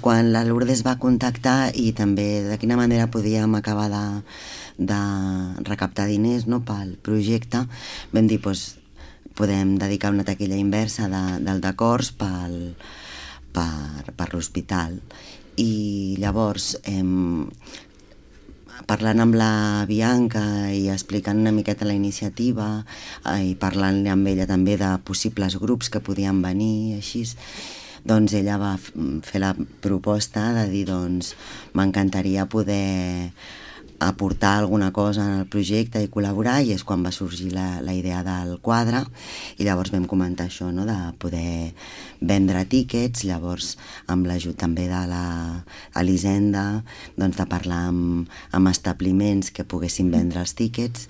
Quan la Lourdes va contactar i també de quina manera podíem acabar de recaptar diners, no, pel projecte, vam dir, doncs, podem dedicar una taquilla inversa del decors per l'hospital. I llavors, parlant amb la Bianca i explicant una miqueta la iniciativa i parlant amb ella també de possibles grups que podien venir, així, doncs ella va fer la proposta de dir, doncs, m'encantaria poder aportar alguna cosa en el projecte i col·laborar, i és quan va sorgir la idea del quadre, i llavors vam comentar això, no?, de poder vendre tíquets. Llavors, amb l'ajut també de l'Elisenda, doncs de parlar amb establiments que poguessin vendre els tíquets,